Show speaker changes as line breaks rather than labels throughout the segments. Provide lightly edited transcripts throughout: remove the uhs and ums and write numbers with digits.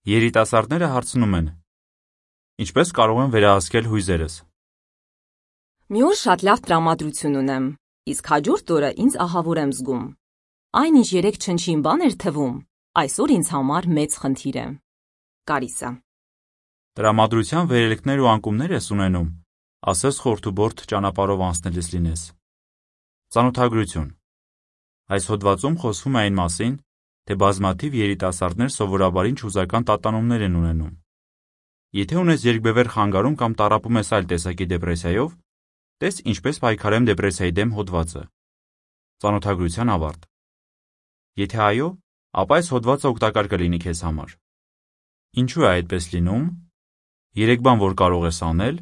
Երիտասարդները հարցնում են. ինչպես կարող եմ վերահսկել հույզերս։
Մի օր շատ լավ տրամադրություն ունեմ, իսկ հաջորդ օրը ինձ ահավոր եմ զգում։ Այն, ինչ երեկ չնչին բան էր թվում, այսօր ինձ համար մեծ խնդիր է։ Կարիսա։
Տրամադրության վերելքներ ու անկումներ ես ունենում, ասես խորթուբորդ ճանապարհով անցնելիս լինես։ Ծանոթագրություն։ Այս հոդվածում խոսվում է այն մասին, թե բազմաթիվ երիտասարդներ սովորաբար ինչ հուզական տատանումներ են ունենում։ Եթե ունես երկբևեռ խանգարում կամ տառապում ես այլ տեսակի դեպրեսիայով, տես ինչպես պայքարեմ դեպրեսիայի դեմ հոդվածը։ Ծանոթագրության ավարտ։ Եթե այո, ապա այս հոդվածը օգտակար կլինի քեզ համար։ Ինչու է այդպես լինում։ 3 բան, որ կարող ես անել,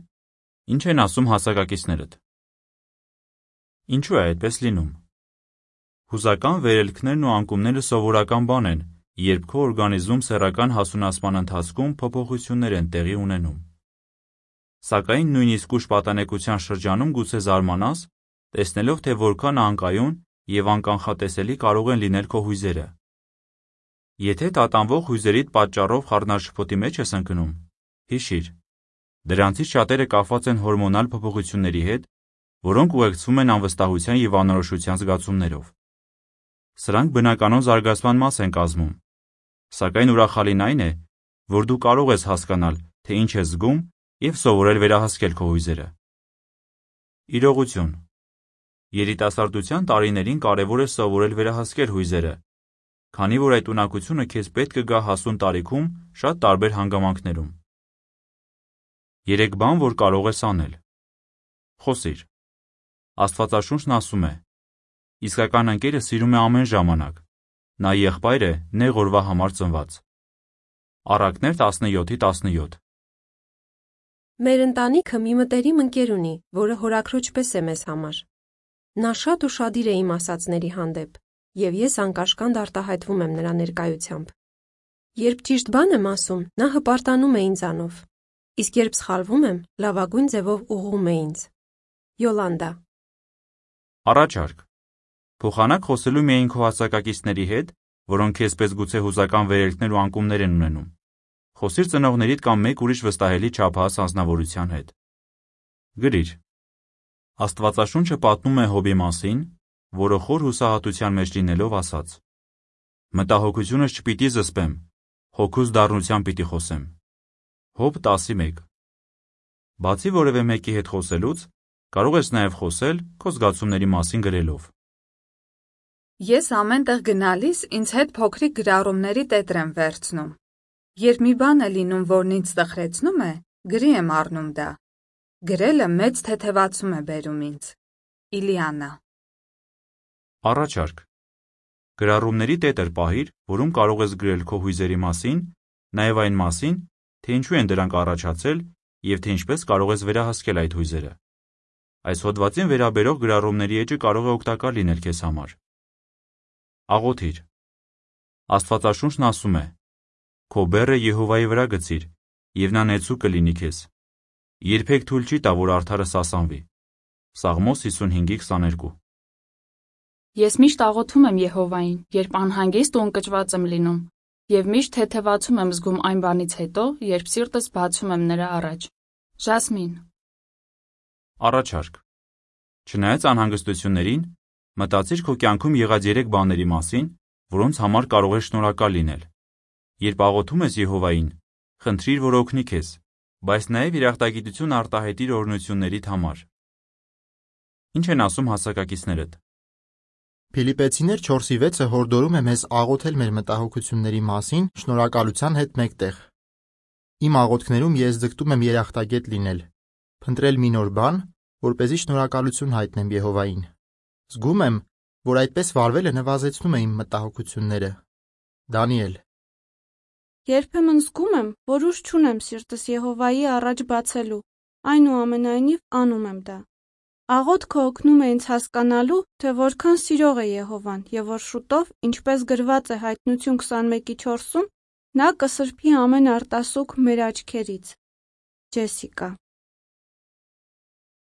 ինչ են ասում հասակակիցներդ։ Ինչու է այդպես լինում։ Հուզական վերելքներն ու անկումները սովորական բան են, երբ քո օրգանիզմում սեռական հասունացման ընթացքում փոփոխություններ են տեղի ունենում։ Սակայն նույնիսկ ուշ պատանեկության շրջանում գուցե զարմանաս, տեսնելով, թե որքան անկայուն և անկանխատեսելի կարող են լինել քո հույզերը։ Եթե տատանվող հույզերիդ պատճառով խառնաշփոթի մեջ ես ընկնում, հիշիր, դրանցից շատերը կապված են հորմոնալ փոփոխությունների հետ, որոնք ուղեկցվում են անվստահության և անորոշության զգացումներով։ Սրանք բնականոն զարգացման մաս են կազմում, սակայն ուրախալին այն է, որ դու կարող ես հասկանալ, թե ինչ ես զգում և սովորել վերահսկել քո հույզերը։ Իրողություն։ Երիտասարդության տարիներին կարևոր է սովորել վերահսկել հույզերը, քանի որ այդ ունակությունը քեզ պետք կգա հասուն տարիքում շատ տարբեր հանգամանքներում։ 3 բան, որ կարող ես անել։ Խոսիր։ Աստվածաշունչն ասում է. իսկական ընկերը սիրում է ամեն ժամանակ, նա եղբայր է նեղ օրվա համար ծնված։ Առակներ 17:17։
Մեր ընտանիքը մի մտերիմ ընկեր ունի, որը հորաքրոջ պես է մեզ համար։ Նա շատ ուշադիր է իմ ասածների հանդեպ, և ես անկաշկանդ արտահայտվում եմ նրա ներկայությամբ։ Երբ ճիշտ բան եմ ասում, նա հպարտանում է ինձանով, իսկ երբ սխալվում եմ, լավագույն ձևով ուղղում է ինձ։ Յոլանդա։
Առաջարկ։ Փոխանակ խոսելու միայն քո հասակակիցների հետ, որոնք քեզպես գուցե հուզական վերելքներ ու անկումներ են ունենում։ Խոսիր ծնողներիդ կամ մեկ ուրիշ վստահելի չափահաս անձնավորության հետ։ Գրիր։ Աստվածաշունչը պատմում է Հոբի մասին, որը խոր հուսահատության մեջ լինելով ասաց. մտահոգությունս չպիտի զսպեմ, հոգուս դառնությամբ պիտի խոսեմ։ Հոբ 10:1։ Բացի որևէ մեկի հետ խոսելուց, կարող ես նաև խոսել քո զգացումների մասին գրելով։
Ես ամեն տեղ գնալիս ինձ հետ փոքրիկ գրառումների տետր եմ վերցնում։ Երբ մի բան է լինում, որն ինձ տխրեցնում է, գրի եմ առնում դա։ Գրելը մեծ թեթևացում է բերում ինձ։ Իլիանա։
Առաջարկ։ Գրառումների տետր պահիր, որում կարող ես գրել քո հույզերի մասին, նաև այն մասին, թե ինչու են դրանք առաջացել և թե ինչպես կարող ես վերահսկել այդ հույզերը։ Այս հոդվածին վերաբերող գրառումների էջը կարող է օգտակար լինել քեզ համար։ Աղոթիր։ Աստվածաշունչն ասում է. քո բեռը Եհովայի վրա գցիր, և նա նեցուկ կլինի քեզ։ Երբեք թույլ չի տա, որ արդարը սասանվի։ Սաղմոս 55:22։
Ես միշտ աղոթում եմ Եհովային, երբ անհանգիստ ու ընկճված եմ լինում, և միշտ թեթևացում եմ զգում այն բանից հետո, երբ սիրտս բացում եմ նրա առաջ։ Ժասմին։
Առաջարկ։ Չնայած անհանգստություններին, մտածիր քո կյանքում եղած 3 բաների մասին, որոնց համար կարող ես շնորհակալ լինել։ Երբ աղոթում ես Եհովային, խնդրիր, որ օգնի քեզ, բայց նաև երախտագիտություն արտահայտիր օրհնություններիդ համար։ Ինչ են ասում հասակակիցներդ։
Փիլիպպեցիներ 4:6-ը հորդորում է մեզ աղոթել մեր մտահոգությունների մասին շնորհակալության հետ մեկտեղ։ Իմ աղոթքներում ես ձգտում եմ երախտագետ լինել, փնտրել մի նոր բան, որպեսզի շնորհակալություն հայտնեմ Եհովային։ Զգում եմ, որ այդպես վարվելը նվազեցնում է իմ մտահոգությունները։ Դանիել։
Երբեմն զգում եմ, որ ուժ չունեմ սիրտս Եհովայի առաջ բացելու, այնուամենայնիվ անում եմ դա։ Աղոթքը օգնում է ինձ հասկանալու, թե որքան սիրող է Եհովան և որ շուտով, ինչպես գրված է Հայտնություն 21:4-ում, նա կսրբի ամեն արտասուք մեր աչքերից։ Ջեսիկա։